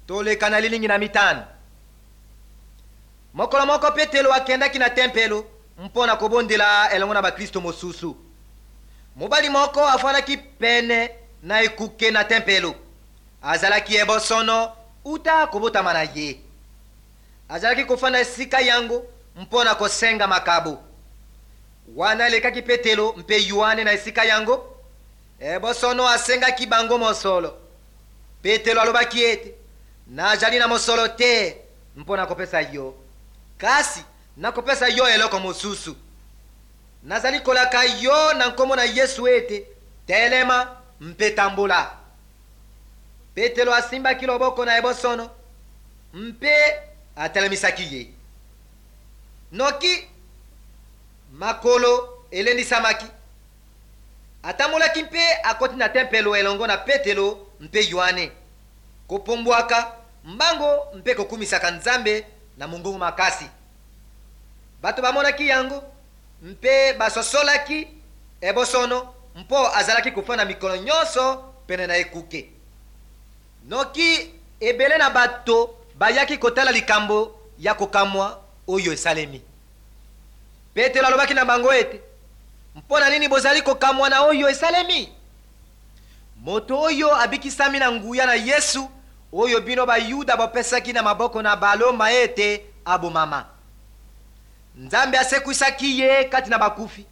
Toleka na lilingi na mitano. Mokolo moko Petelo akendaki na tempelo mpo na kobondela elongo na baklisto mosusu. Mobali moko afandaki pene na ekuke na tempelo. Azalaki ebosono uta kobotama na ye. Azalaki kofanda esika yango mpo na kosenga makabo. Wana elekaki Petelo mpe Yoane na esika yango, ebosono asengaki bango mosolo. Petelo alobaki ete, Nazali na mosolo te mpo na kopesa yo, kasi nakopesa yo eloko mosusu. Nazali kolaka yo na nkombo na Yesu ete, telema mpe tambola. Petelo asimbaki loboko na ebosono mpe atelemisaki ye. Noki makolo elendisamaki. Atambolaki mpe akoti na tempelo elongo na Petelo mpe Yoane, kopombwaka mbango mpe kokumisaka Nzambe na mongongo makasi. Bato bamonaki yango mpe basosolaki ebosono mpo azalaki kofanda mikolo nyonso pene na ekuke. Noki ebele na bato bayaki kotala likambo ya kokamwa oyo esalemi. Petelo alobaki na bango ete, Mpo na nini bozali kokamwa na oyo esalemi? Moto oyo abikisami na nguya na Yesu, oyo bino Bayuda bopesaki na maboko na Baloma ete abomama. Nzambe asekwisaki ye kati na bakufi.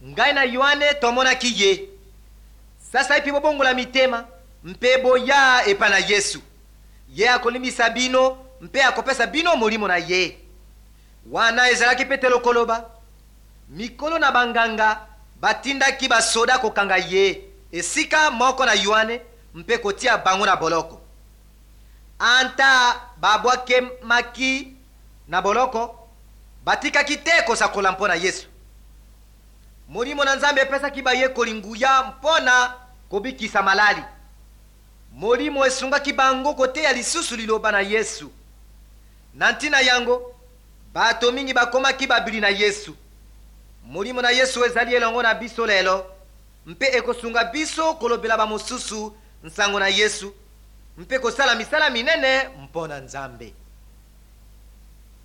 Ngai na Yoane tomonaki ye. Sasaipi bobongola mitema mpe boya epai na Yesu. Ye akolimbisa bino mpe akopesa bino Molimo na ye. Wana ezalaki Petelo koloba, mikolo na banganga batindaki basoda kokanga ye esika moko na Yoane mpe kotia bango na boloko. Ata babwakemaki na boloko, batikaki te kosakola mpo na Yesu. Molimo na Nzambe epesaki bayekoli nguya mpo na kobikisa malali. Molimo esungaki bango koteya lisusu liloba na Yesu. Na ntina yango, bato mingi bakomaki babili na Yesu. Molimo na Yesu ezali elongo na biso lelo mpe ekosunga biso kolobela bamosusu nsango na Yesu mpe kosala misala minene mpo na Nzambe.